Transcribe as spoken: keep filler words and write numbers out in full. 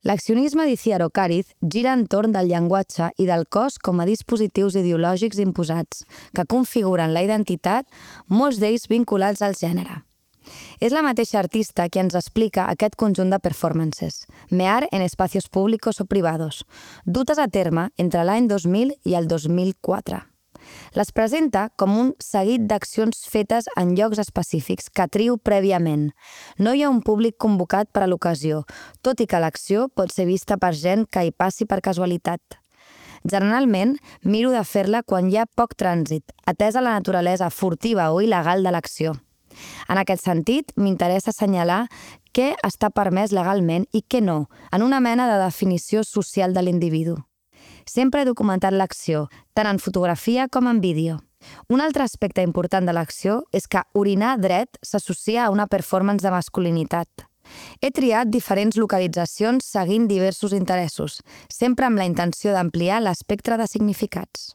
L'accionisme d'Iciaro Càriz gira entorn del llenguatge i del cos com a dispositius ideològics imposats que configuren la identitat, molts d'ells vinculats al gènere. És la mateixa artista qui ens explica aquest conjunt de performances, mear en espacios públicos o privados, dutes a terme entre l'any dos mil i el dos mil quatre. Les presenta com un seguit d'accions fetes en llocs específics que triu prèviament. No hi ha un públic convocat per a l'ocasió, tot i que l'acció pot ser vista per gent que hi passi per casualitat. Generalment, miro de fer-la quan hi ha poc trànsit, atesa la naturalesa furtiva o il·legal de l'acció. En aquest sentit, m'interessa assenyalar què està permès legalment i què no, en una mena de definició social de l'individu. Sempre he documentat l'acció, tant en fotografia com en vídeo. Un altre aspecte important de l'acció és que orinar dret s'associa a una performance de masculinitat. He triat diferents localitzacions seguint diversos interessos, sempre amb la intenció d'ampliar l'espectre de significats.